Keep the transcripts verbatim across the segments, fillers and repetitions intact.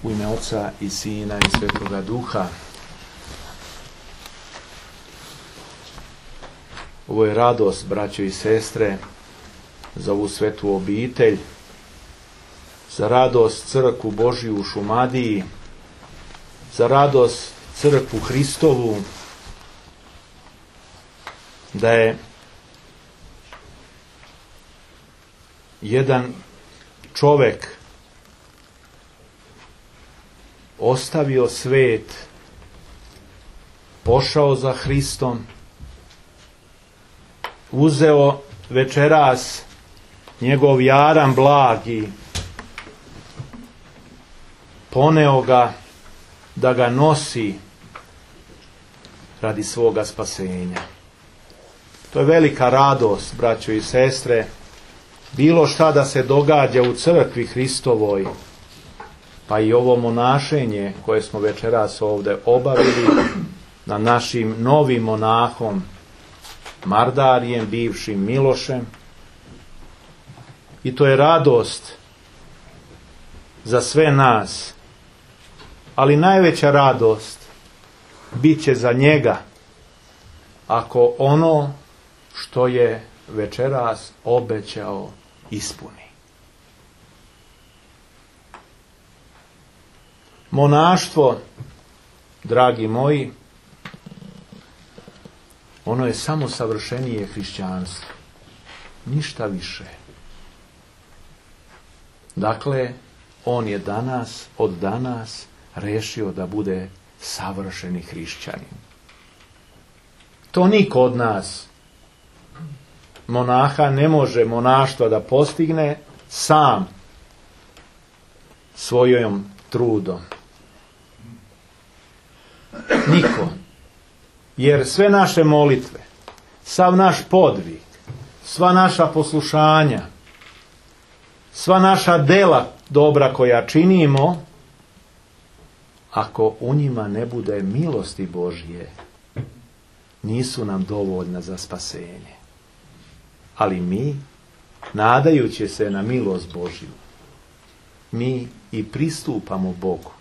U ime Oca i Sina i Svetoga Duha. Ovo je radost, braćo i sestre, za ovu svetu obitelj, za radost crkvu Božiju u Šumadiji, za radost crkvu Hristovu, da je jedan čovek ostavio svet, pošao za Hristom, uzeo večeras njegov jaram blagi, poneo ga da ga nosi radi svoga spasenja. To je velika radost, braćo i sestre, bilo šta da se događa u crkvi Hristovoj, pa i ovo monašenje koje smo večeras ovdje obavili na našim novim monahom Mardarijem, bivšim Milošem. I to je radost za sve nas, ali najveća radost bit će za njega ako ono što je večeras obećao ispuni. Monaštvo, dragi moji, ono je samo savršenije hrišćanstvo, ništa više. Dakle, on je danas, od danas, rešio da bude savršeni hrišćanin. To niko od nas, monaha, ne može monaštva da postigne sam svojom trudom. Niko. Jer sve naše molitve, sav naš podvig, sva naša poslušanja, sva naša dela dobra koja činimo, ako u njima ne bude milosti Božje, nisu nam dovoljna za spasenje. Ali mi, nadajući se na milost Božju, mi i pristupamo Bogu.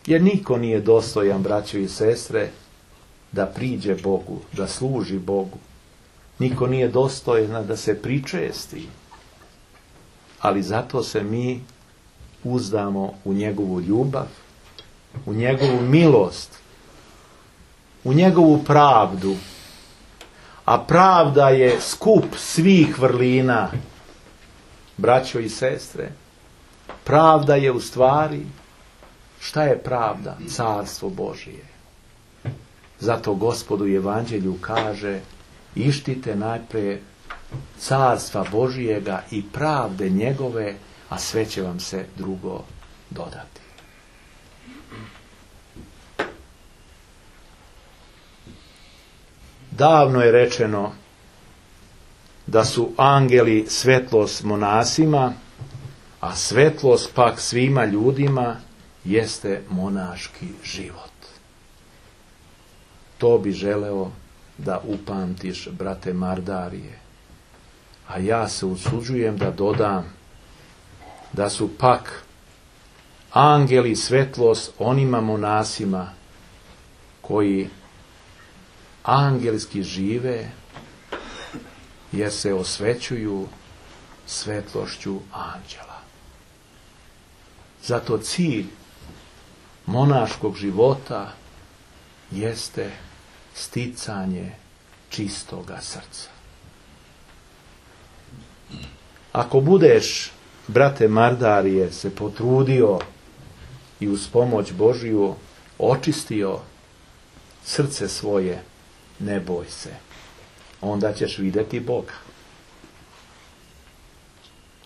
Jer niko nije dostojan, braćo i sestre, da priđe Bogu, da služi Bogu. Niko nije dostojan da se pričesti. Ali zato se mi uzdamo u njegovu ljubav, u njegovu milost, u njegovu pravdu. A pravda je skup svih vrlina, braćo i sestre. Pravda je u stvari, šta je pravda? Carstvo Božije. Zato Gospod u Evanđelju kaže: ištite najprije carstva Božijega i pravde njegove, a sve će vam se drugo dodati. Davno je rečeno da su angeli svetlost monasima, a svetlost pak svima ljudima jeste monaški život. To bi želeo da upamtiš, brate Mardarije. A ja se usuđujem da dodam da su pak angeli svetlost onima monasima koji angelski žive, jer se osvećuju svetlošću anđela. Zato cilj monaškog života jeste sticanje čistoga srca. Ako budeš, brate Mardarije, se potrudio i uz pomoć Božju očistio srce svoje, ne boj se, onda ćeš vidjeti Boga.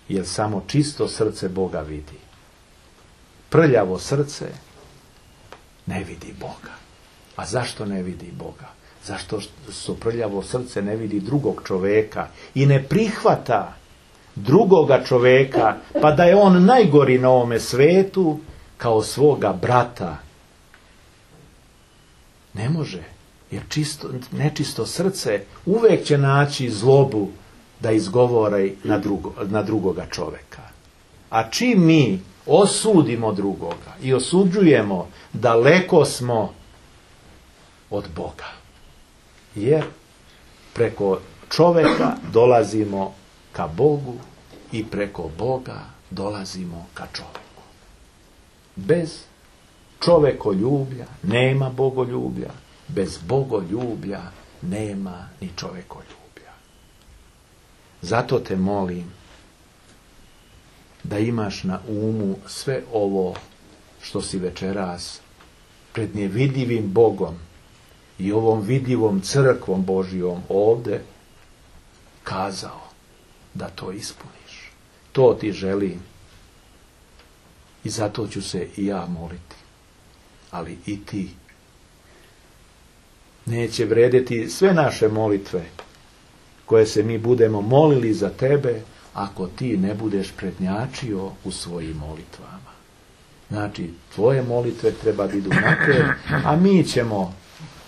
Jer samo čisto srce Boga vidi. Prljavo srce ne vidi Boga. A zašto ne vidi Boga? Zašto što prljavo srce ne vidi drugog čoveka i ne prihvata drugoga čoveka, pa da je on najgori na ovome svetu, kao svoga brata. Ne može. Jer čisto, nečisto srce uvijek će naći zlobu da izgovori na, drugo, na drugoga čoveka. A čim mi osudimo drugoga i osuđujemo, daleko smo od Boga. Jer preko čovjeka dolazimo ka Bogu i preko Boga dolazimo ka čovjeku. Bez čovjekoljublja nema bogoljublja, bez bogoljublja nema ni čovjekoljublja. Zato te molim da imaš na umu sve ovo što si večeras pred nevidljivim Bogom i ovom vidljivom crkvom Božijom ovdje kazao, da to ispuniš. To ti želim i zato ću se i ja moliti, ali i ti. Neće vrediti sve naše molitve koje se mi budemo molili za tebe ako ti ne budeš prednjačio u svojim molitvama. Znači, tvoje molitve treba da idu naprijed, a mi ćemo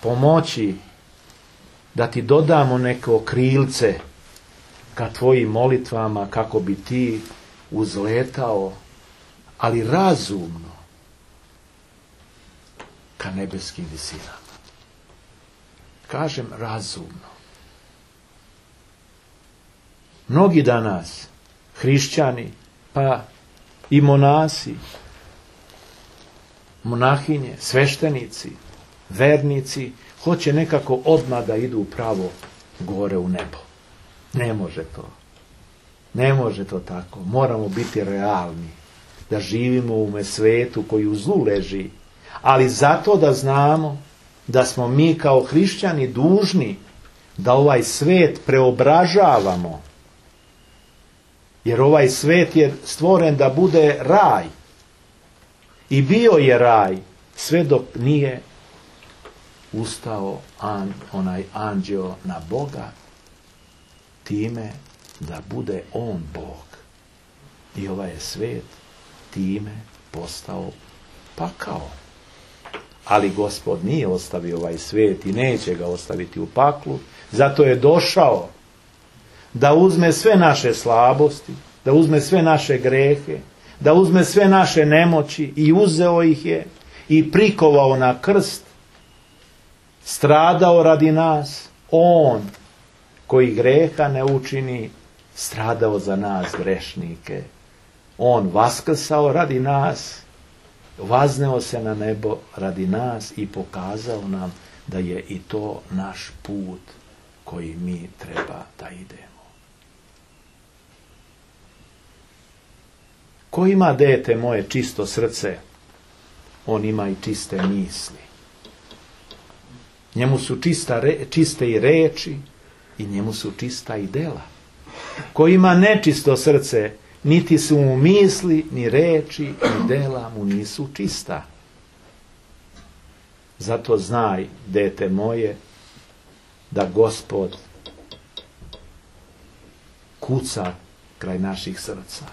pomoći da ti dodamo neko krilce ka tvojim molitvama kako bi ti uzletao, ali razumno, ka nebeskim visinama. Kažem razumno. Mnogi danas, hrišćani, pa i monasi, monahinje, sveštenici, vernici, hoće nekako odmah da idu pravo gore u nebo. Ne može to. Ne može to tako. Moramo biti realni. Da živimo u ovome svetu koji u zlu leži. Ali zato da znamo da smo mi kao hrišćani dužni da ovaj svet preobražavamo. Jer ovaj svet je stvoren da bude raj. I bio je raj sve dok nije ustao an, onaj anđeo na Boga time da bude on Bog. I ovaj je svet time postao pakao. Ali Gospod nije ostavio ovaj svet i neće ga ostaviti u paklu. Zato je došao da uzme sve naše slabosti, da uzme sve naše grehe, da uzme sve naše nemoći i uzeo ih je i prikovao na krst, stradao radi nas, on koji greha ne učini, stradao za nas grešnike. On vaskrsao radi nas, vazneo se na nebo radi nas i pokazao nam da je i to naš put koji mi treba da idemo. Ko ima, dete moje, čisto srce, on ima i čiste misli. Njemu su čista, čiste i reči i njemu su čista i dela. Ko ima nečisto srce, niti su mu misli, ni reči, ni dela mu nisu čista. Zato znaj, dete moje, da Gospod kuca kraj naših srca.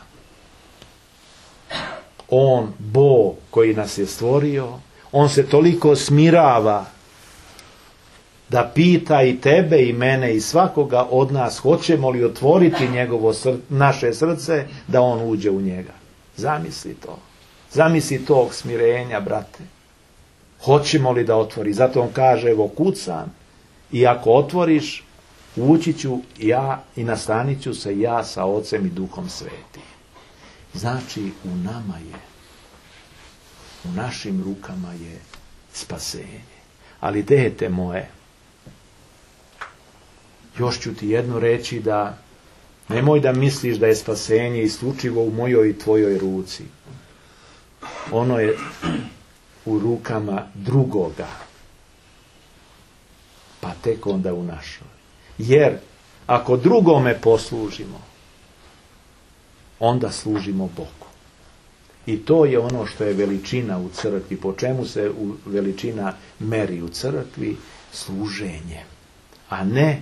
On, Bog koji nas je stvorio, on se toliko smirava da pita i tebe i mene i svakoga od nas hoćemo li otvoriti njegovo sr- naše srce da on uđe u njega. Zamisli to. Zamisli tog smirenja, brate. Hoćemo li da otvori? Zato on kaže, evo kucam i ako otvoriš, ući ću ja i nastanit ću se ja sa Ocem i Duhom Svetim. Znači, u nama je, u našim rukama je spasenje. Ali, dete moje, još ću ti jedno reći da nemoj da misliš da je spasenje isključivo u mojoj i tvojoj ruci. Ono je u rukama drugoga, pa tek onda u našoj. Jer ako drugome poslužimo, onda služimo Bogu. I to je ono što je veličina u crkvi. Po čemu se veličina meri u crkvi? Služenje. A ne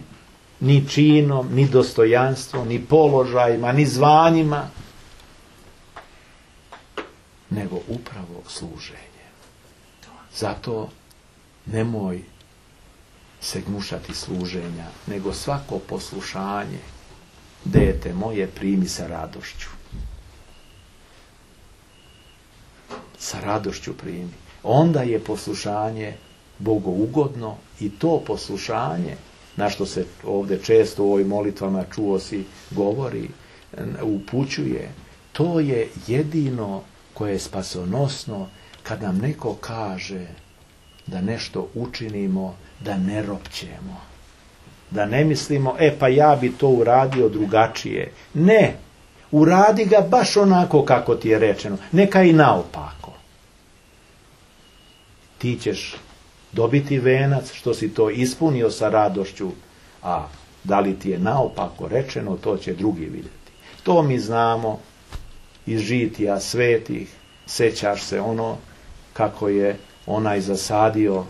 ni činom, ni dostojanstvom, ni položajima, ni zvanjima, nego upravo služenje. Zato nemoj se gnušati služenja, nego svako poslušanje, dete moje, primi sa radošću. sa radošću primi. Onda je poslušanje bogougodno i to poslušanje, na što se ovdje često u ovoj molitvama čuo si govori, upućuje, to je jedino koje je spasonosno kad nam neko kaže da nešto učinimo, da ne ropćemo. Da ne mislimo, e pa ja bi to uradio drugačije. Ne, uradi ga baš onako kako ti je rečeno. Neka i naopako. Ti ćeš dobiti venac što si to ispunio sa radošću, a da li ti je naopako rečeno, to će drugi vidjeti. To mi znamo iz žitija svetih. Sećaš se ono kako je onaj zasadio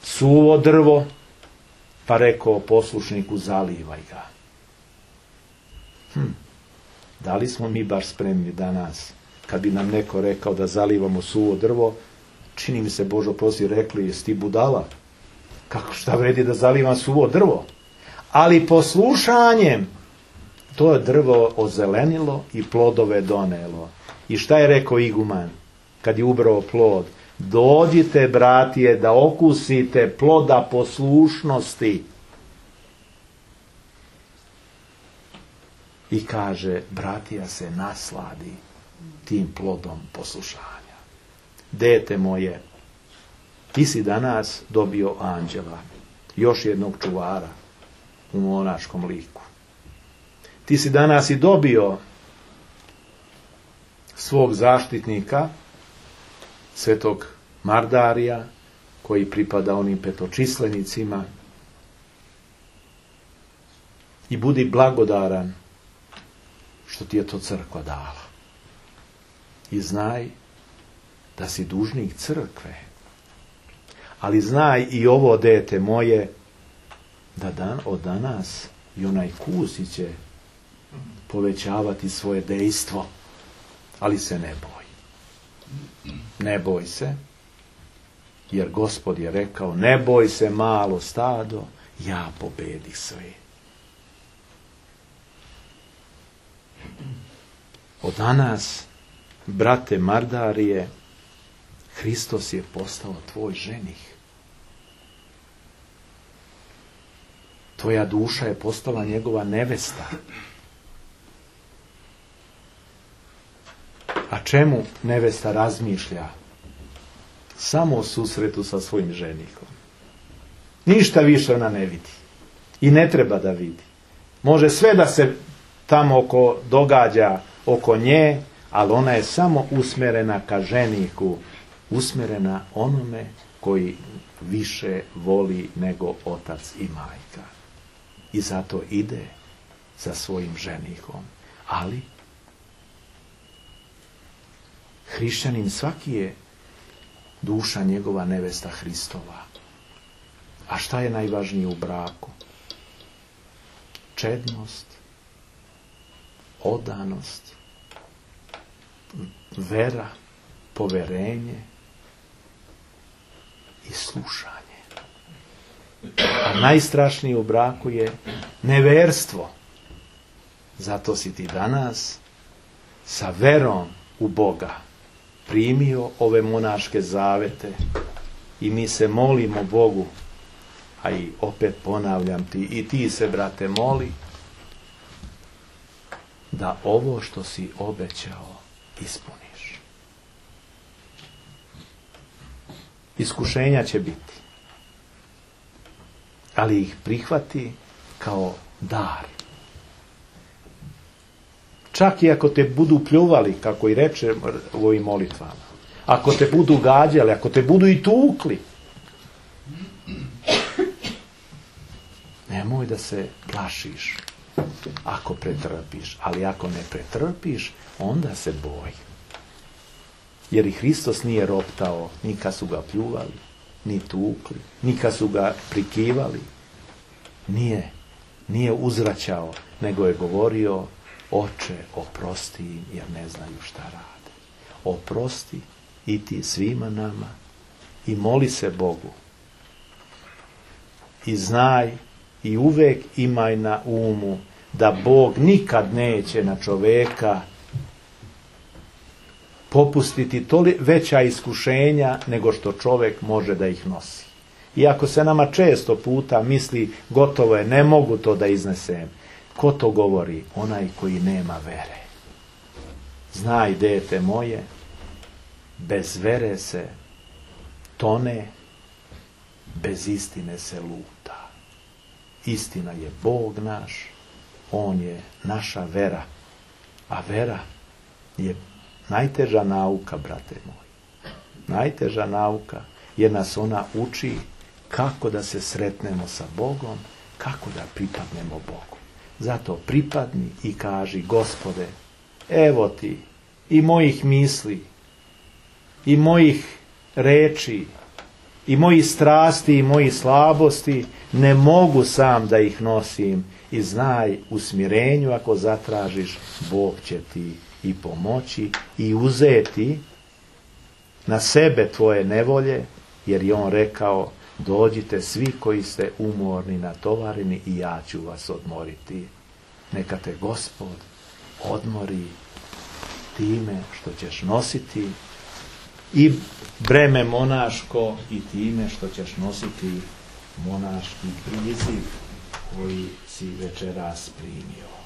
suvo drvo, pa rekao poslušniku zalivaj ga. Hm. Da li smo mi baš spremni danas, kad bi nam neko rekao da zalivamo suvo drvo, čini mi se, Božo prosi, rekli, jesi ti budala? Kako, šta vredi da zalivam suvo drvo? Ali poslušanjem to je drvo ozelenilo i plodove donelo. I šta je rekao iguman kad je ubrao plod? Dođite, bratije, da okusite ploda poslušnosti. I kaže, bratija se nasladi tim plodom poslušanja. Dete moje, ti si danas dobio anđela, još jednog čuvara u monaškom liku. Ti si danas i dobio svog zaštitnika, svetog Mardarija, koji pripada onim petočislenicima. I budi blagodaran što ti je to crkva dala. I znaj da si dužnik crkve. Ali znaj i ovo, dete moje, da dan od danas i onaj kusi će povećavati svoje dejstvo. Ali se ne boj. Ne boj se, jer Gospod je rekao, ne boj se malo stado, ja pobedih sve. Od danas, brate Mardarije, Hristos je postao tvoj ženih. Tvoja duša je postala njegova nevesta. A čemu nevesta razmišlja? Samo o susretu sa svojim ženikom. Ništa više ona ne vidi. I ne treba da vidi. Može sve da se tamo oko događa oko nje, ali ona je samo usmjerena ka ženiku, usmjerena onome koji više voli nego otac i majka. I zato ide za svojim ženikom. Ali hrišćanin svaki je duša njegova nevesta Hristova. A šta je najvažnije u braku? Čednost, odanost, vera, poverenje i slušanje. A najstrašnije u braku je neverstvo. Zato si ti danas sa verom u Boga primio ove monaške zavete i mi se molimo Bogu, a i opet ponavljam ti, i ti se, brate, moli, da ovo što si obećao ispuniš. Iskušenja će biti, ali ih prihvati kao dar. Čak i ako te budu pljuvali, kako i reče u ovim molitvama, ako te budu gađali, ako te budu i tukli, nemoj da se plašiš ako pretrpiš, ali ako ne pretrpiš, onda se boj. Jer i Hristos nije roptao, ni kad su ga pljuvali, ni tukli, ni kad su ga prikivali. Nije, nije uzvraćao, nego je govorio, Oče, oprosti im, jer ne znaju šta rade. Oprosti i ti svima nama i moli se Bogu. I znaj i uvek imaj na umu da Bog nikad neće na čoveka popustiti toli veća iskušenja nego što čovjek može da ih nosi. Iako se nama često puta misli gotovo je, ne mogu to da iznesem. Ko to govori? Onaj koji nema vere. Znaj, dete moje, bez vere se tone, bez istine se luta. Istina je Bog naš, On je naša vera. A vera je najteža nauka, brate moji. Najteža nauka, jer nas ona uči kako da se sretnemo sa Bogom, kako da pripadnemo Bogu. Zato pripadni i kaži, Gospode, evo ti i mojih misli, i mojih reči, i mojih strasti, i mojih slabosti, ne mogu sam da ih nosim, i znaj, u smirenju ako zatražiš, Bog će ti i pomoći i uzeti na sebe tvoje nevolje, jer je On rekao, dođite svi koji ste umorni, natovareni, i ja ću vas odmoriti. Neka te Gospod odmori time što ćeš nositi i breme monaško, i time što ćeš nositi monaški priziv koji si večeras primio.